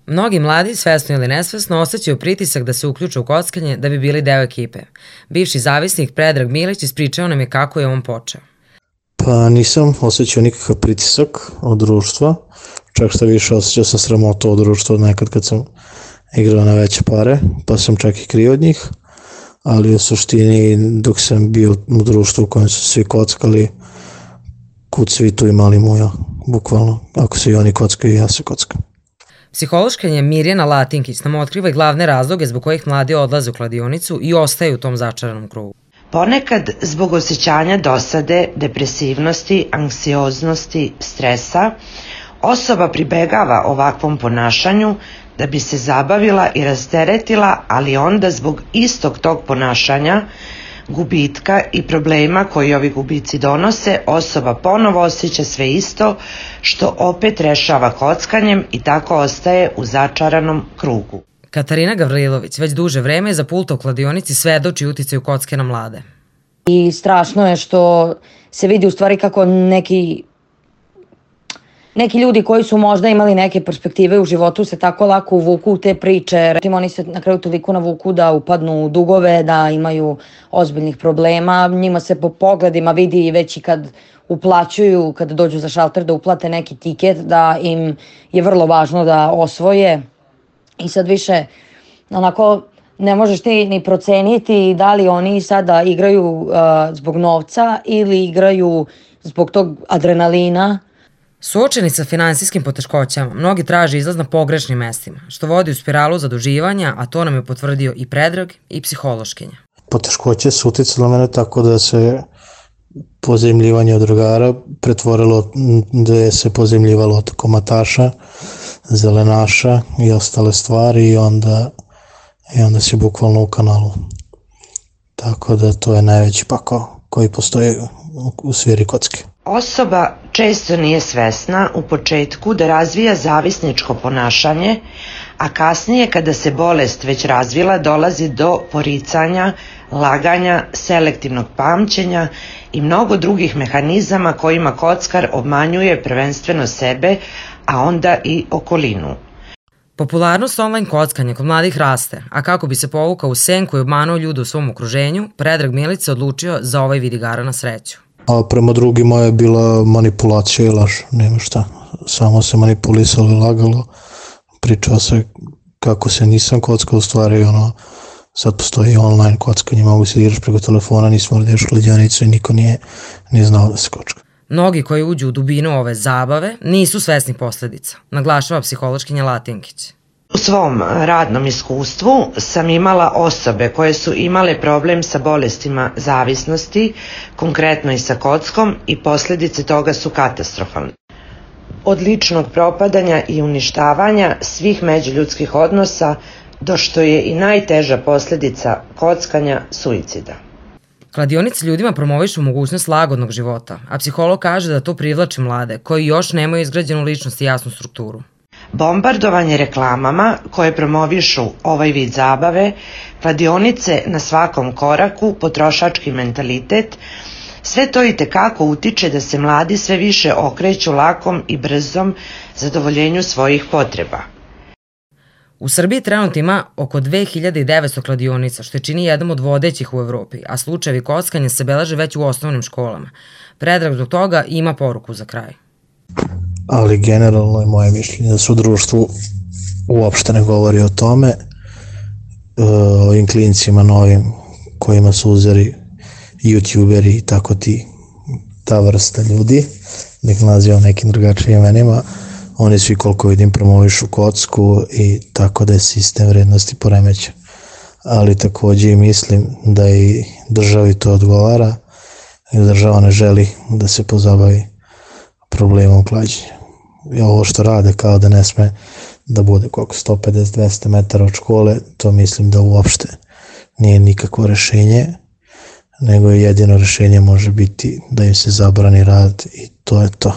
Mnogi mladi, svesno ili nesvesno, osjećaju pritisak da se uključe u kockanje da bi bili deo ekipe. Bivši zavisnik Predrag Milić ispričao nam je kako je on počeo. Pa nisam osjećao nikakav pritisak od društva, čak što više osjećao sam sramotu od društva nekad kad sam igrao na veće pare, pa sam čak i krio od njih, ali u suštini dok sam bio u društvu u kojem su svi kockali, kud svi tu imali muja, bukvalno, ako se i oni kockaju, ja se kockam. Psihološkinja Mirjana Latinkić nam otkriva i glavne razloge zbog kojih mladi odlaze u kladionicu i ostaju u tom začaranom krugu. Ponekad zbog osjećanja dosade, depresivnosti, anksioznosti, stresa, osoba pribegava ovakvom ponašanju da bi se zabavila i rasteretila, ali onda zbog istog tog ponašanja, gubitka i problema koji ovi gubici donose, osoba ponovo osjeća sve isto, što opet rešava kockanjem i tako ostaje u začaranom krugu. Katarina Gavrilović već duže vreme za pulta u kladionici svedoči uticaju kocke na mlade. I strašno je što se vidi u stvari kako neki ljudi koji su možda imali neke perspektive u životu se tako lako uvuku u te priče. Oni se na kraju toliko navuku da upadnu u dugove, da imaju ozbiljnih problema. Njima se po pogledima vidi već i kad uplaćuju, kad dođu za šalter da uplate neki tiket, da im je vrlo važno da osvoje. I sad više onako ne možeš ti ni proceniti da li oni sada igraju zbog novca ili igraju zbog tog adrenalina. Suočeni sa finansijskim poteškoćama, mnogi traže izlaz na pogrešnim mestima, što vodi u spiralu zaduživanja, a to nam je potvrdio i Predrag i psihološkinja. Poteškoće su uticale na mene tako da se pozajmljivanje od drugara pretvorilo da je se pozajmljivalo od komataša, zelenaša i ostale stvari i onda si bukvalno u kanalu. Tako da to je najveći pakao koji postoji u sferi kocke. Osoba često nije svesna u početku da razvija zavisničko ponašanje, a kasnije kada se bolest već razvila dolazi do poricanja, laganja, selektivnog pamćenja i mnogo drugih mehanizama kojima kockar obmanjuje prvenstveno sebe, a onda i okolinu. Popularnost online kockanja kod mladih raste, a kako bi se povukao u senku i obmanuo ljude u svom okruženju, Predrag Milić se odlučio za ovaj vid igara na sreću. A prema drugima je bila manipulacija i laž, nema šta. Samo se manipulisalo i lagalo, pričao se kako se nisam kockao, u stvari sad postoji online kockanje, mogu se igraš preko telefona, nismo da ideš u kladionicu i niko nije znao da se kocka. Mnogi koji uđu u dubinu ove zabave nisu svesni posledica, naglašava psihološkinja Latinkić. U svom radnom iskustvu sam imala osobe koje su imale problem sa bolestima zavisnosti, konkretno i sa kockom, i posljedice toga su katastrofalne. Od ličnog propadanja i uništavanja svih međuljudskih odnosa do što je i najteža posljedica kockanja suicida. Kladionice ljudima promovišu mogućnost lagodnog života, a psiholog kaže da to privlači mlade koji još nemaju izgrađenu ličnost i jasnu strukturu. Bombardovanje reklamama koje promovišu ovaj vid zabave, kladionice na svakom koraku, potrošački mentalitet, sve to itekako utiče da se mladi sve više okreću lakom i brzom zadovoljenju svojih potreba. U Srbiji trenutno ima oko 2900 kladionica, što je čini jednom od vodećih u Evropi, a slučajevi kockanja se beleže već u osnovnim školama. Predrag zbog toga ima poruku za kraj. Ali generalno je moje mišljenje da se u društvu uopšte ne govori o tome, o ovim klincima novim kojima su uzeli youtuberi i tako ta vrsta ljudi, nek nazivam nekim drugačijim imenima, oni svi koliko vidim promovišu kocku i tako da je sistem vrednosti poremećen. Ali takođe i mislim da i državi to odgovara i država ne želi da se pozabavi problemom klađenja. I ovo što rade kao da ne sme da bude koliko 150-200 metara od škole, to mislim da uopšte nije nikakvo rešenje, nego jedino rešenje može biti da im se zabrani rad i to je to.